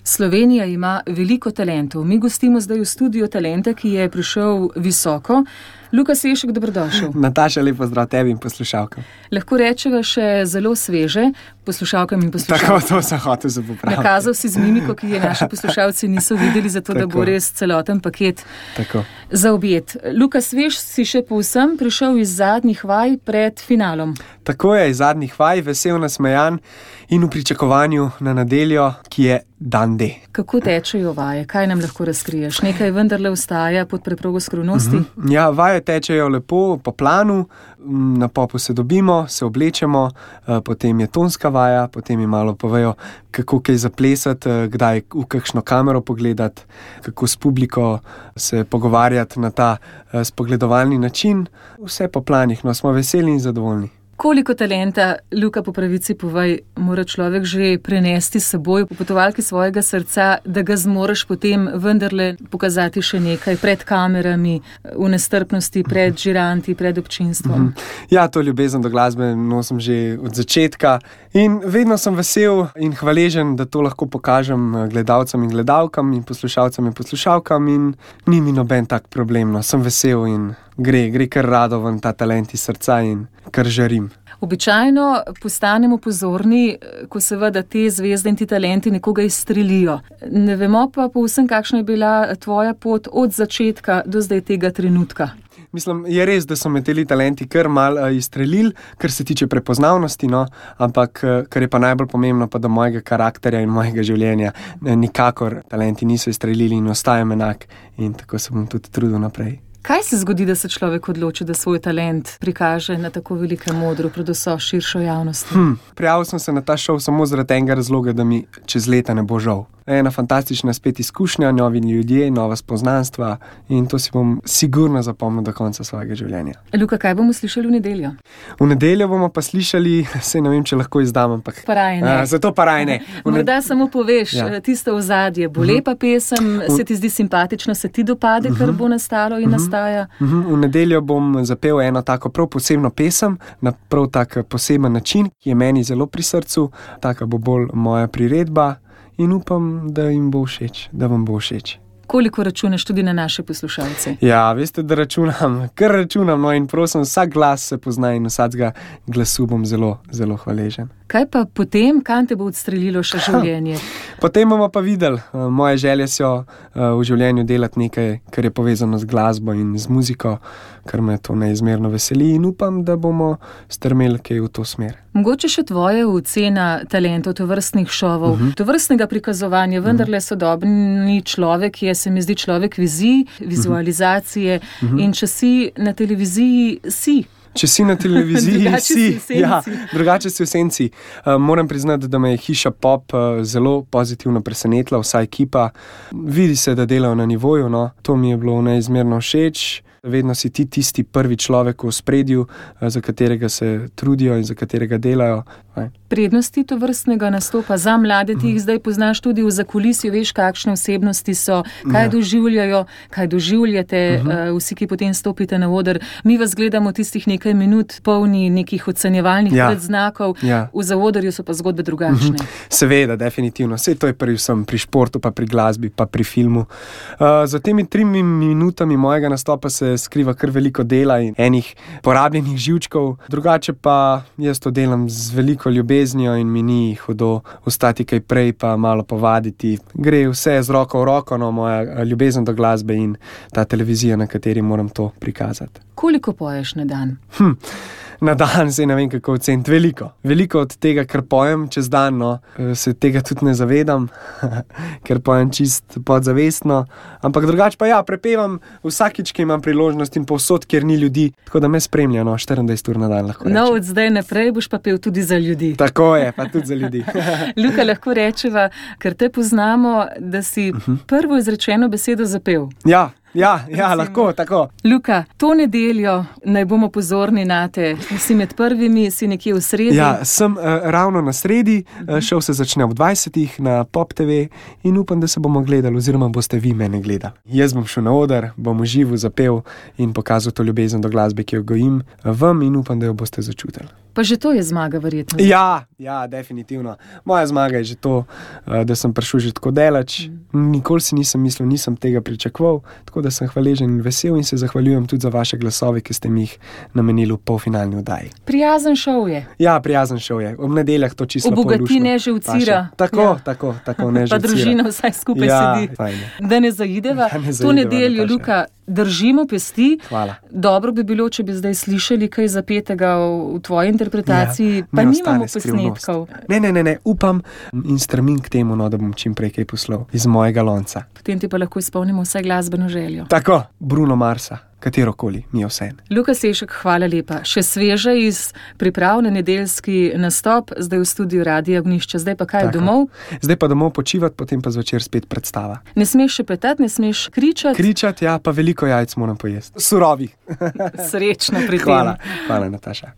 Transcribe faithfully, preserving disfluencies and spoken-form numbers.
Slovenija ima veliko talentov. Mi gostimo zdaj v studiu talenta, ki je prišel visoko. Luka Sešek, dobrodošel. Nataša, lep pozdrav tebi in poslušalkam. Lahko rečeva še zelo sveže poslušalkam in poslušalcem. Tako, to sem hotel za popraviti. Nakazal si z mimiko, ki je naši poslušalci niso videli, zato da bo res celoten paket Tako. za objet. Luka Svež, si še povsem prišel iz zadnjih vaj pred finalom. Tako je, iz zadnjih vaj, vesel, nasmejan in v pričakovanju na nedeljo, ki je dan D. Kako tečejo vaje? Kaj nam lahko razkriješ? Nekaj vendarle ostaja pod preprogo skrivnosti? Mm-hmm. Ja, vaje tečejo lepo po planu, na popu se dobimo, se oblečemo, potem je tonska vaja, potem mi malo povejo, kako kaj zaplesati, kdaj v kakšno kamero pogledati, kako s publiko se pogovarjati na ta spogledovalni način. Vse po planih, no, smo veseli in zadovoljni. Koliko talenta, Luka, po pravici povej, mora človek že prenesti s seboj po potovalki svojega srca, da ga zmoreš potem vendarle pokazati še nekaj pred kamerami, v nestrpnosti, pred žiranti, pred občinstvom? Ja, to ljubezen do glasbe nosim že od začetka in vedno sem vesel in hvaležen, da to lahko pokažem gledalcem in gledalkam in poslušalcem in poslušalkam in ni mi noben tak problem, no, sem vesel in gre, gre kar rado ven ta talent iz srca in kar žarim. Običajno postanemo pozorni, ko seveda te zvezde in ti talenti nekoga izstrelijo. Ne vemo pa povsem, kakšna je bila tvoja pot od začetka do zdaj tega trenutka. Mislim, je res, da so me teli talenti kar malo izstrelili, kar se tiče prepoznavnosti, no, ampak kar je pa najbolj pomembno, pa da mojega karakterja in mojega življenja nikakor talenti niso izstrelili in ostajam enak in tako se bom tudi trudil naprej. Kaj se zgodi, da se človek odloči, da svoj talent prikaže na tako velikem modru pred vso širšo javnostjo? Hm, prijavil sem se na ta šov samo zaradi enega razloga, da mi čez leta ne bo žal. Ena fantastična spet izkušnja, novi ljudje, nova spoznanstva in to si bom sigurno zapomnil do konca svojega življenja. Luka, kaj bomo slišali v nedeljo? V nedeljo bomo pa slišali, saj ne vem, če lahko izdam, ampak... Paraj ne. A, zato paraj ne. Morda ne... samo poveš, ja. Tisto ozadje, bo lepa pesem, se ti zdi simpatično, se ti dopade, kar bo nastalo in nastaja? V nedeljo bom zapel eno tako prav posebno pesem, na prav tak poseben način, ki je meni zelo pri srcu, taka bo bolj moja priredba. In upam, da jim bo všeč, da vam bo všeč. Koliko računaš tudi na naše poslušalce? Ja, veste, da računam, kar računam, no in prosim, vsak glas se pozna in vsakega glasu bom zelo, zelo hvaležen. Kaj pa potem, kam te bo odstrelilo še življenje? Potem bomo pa videli. Moje želje so v življenju delati nekaj, kar je povezano z glasbo in z muziko, kar me to neizmerno veseli in upam, da bomo strmeli kaj v to smer. Mogoče še tvoja ocena talentov tovrstnih šovov, uh-huh. tovrstnega prikazovanja, vendarle sodobni človek je, se mi zdi, človek vizij, vizualizacije uh-huh. in če si na televiziji, si. Če si na televiziji, drugače si, si ja, drugače si v senci. Uh, moram priznati, da me je Hiša Pop uh, zelo pozitivno presenetila, vsa ekipa. Vidi se, da delajo na nivoju, no. To mi je bilo neizmerno všeč. Vedno si ti tisti prvi človek v ospredju, za katerega se trudijo in za katerega delajo. Aj. Prednosti tovrstnega nastopa za mlade, ti jih zdaj poznaš tudi v zakulisju, veš, kakšne osebnosti so, kaj ja. doživljajo, kaj doživljate, uh-huh. vsi, ki potem stopite na oder. Mi vas gledamo tistih nekaj minut, polni nekih ocenjevalnih ja. predznakov, ja. v zaodrju so pa zgodbe drugačne. Uh-huh. Seveda, definitivno. Sej to je prvi vsem pri športu, pa pri glasbi, pa pri filmu. Uh, za temi trimi minutami mojega nastopa se skriva kar veliko dela in enih porabljenih živčkov. Drugače pa jaz to delam z veliko ljubeznijo in mi ni hudo ostati kaj prej pa malo povaditi. Gre vse z roko v roko, no, moja ljubezen do glasbe in ta televizija, na kateri moram to prikazati. Koliko poješ na dan? Hm. Na dan se ne vem kako oceniti. Veliko. Veliko od tega, kar pojem čez dan, no, se tega tudi ne zavedam, ker pojem čist podzavestno. Ampak drugače pa ja, prepevam vsakič, ki imam priložnost in povsod, kjer ni ljudi, tako da me spremlja, no, štiriindvajset ur na dan lahko rečem. No, od zdaj naprej boš pa pel tudi za ljudi. Tako je, pa tudi za ljudi. Luka, lahko rečeva, ker te poznamo, da si uh-huh. prvo izrečeno besedo zapel. Ja. Ja, ja, lahko, tako. Luka, to nedeljo naj bomo pozorni nate. Si med prvimi, si nekje v sredi. Ja, sem uh, ravno na sredi, uh, šel se začne ob dvajsetih na Pop te ve in upam, da se bomo gledali oziroma boste vi mene gledali. Jaz bom šel na oder, bom uživo zapel in pokazal to ljubezen do glasbe, ki jo gojim vam in upam, da jo boste začutili. Pa že to je zmaga, verjetno. Ja, ja, definitivno. Moja zmaga je že to, da sem prišel že tako daleč. Mm. Nikoli si nisem mislil, nisem tega pričakoval, tako da sem hvaležen in vesel in se zahvaljujem tudi za vaše glasove, ki ste mi jih namenili v polfinalni oddaji. Prijazen šov je. Ja, prijazen šov je. Ob nedeljah to čisto polušno. Obogati, ne živcira. Tako, ja. tako, tako, ne živcira. Pa družina vsaj skupaj ja, sedi. Fajne. Da ne zaideva. Ja, ne to nedeljo, Luka, držimo pesti. Hvala. Dobro bi bilo, če bi zdaj slišali kaj zapetega v tvoji interpretaciji, ja, pa nimamo posnetkov. Ne, ne, ne, ne, upam in stremim k temu, no, da bom čim prej kaj poslal iz mojega lonca. Potem ti pa lahko izpolnimo vse glasbeno željo. Tako, Bruno Marsa. Katerokoli, mi je vse. Luka Sešek, hvala lepa. Še sveže iz priprav na nedeljski nastop, zdaj v studiu Radia Ognjišče. Zdaj pa kaj, Tako. domov? Zdaj pa domov počivati, potem pa zvečer spet predstava. Ne smeš še petati, ne smeš kričati? Kričati, ja, pa veliko jajc moram pojesti. Surovih. Srečno pri tem. Hvala, hvala Nataša.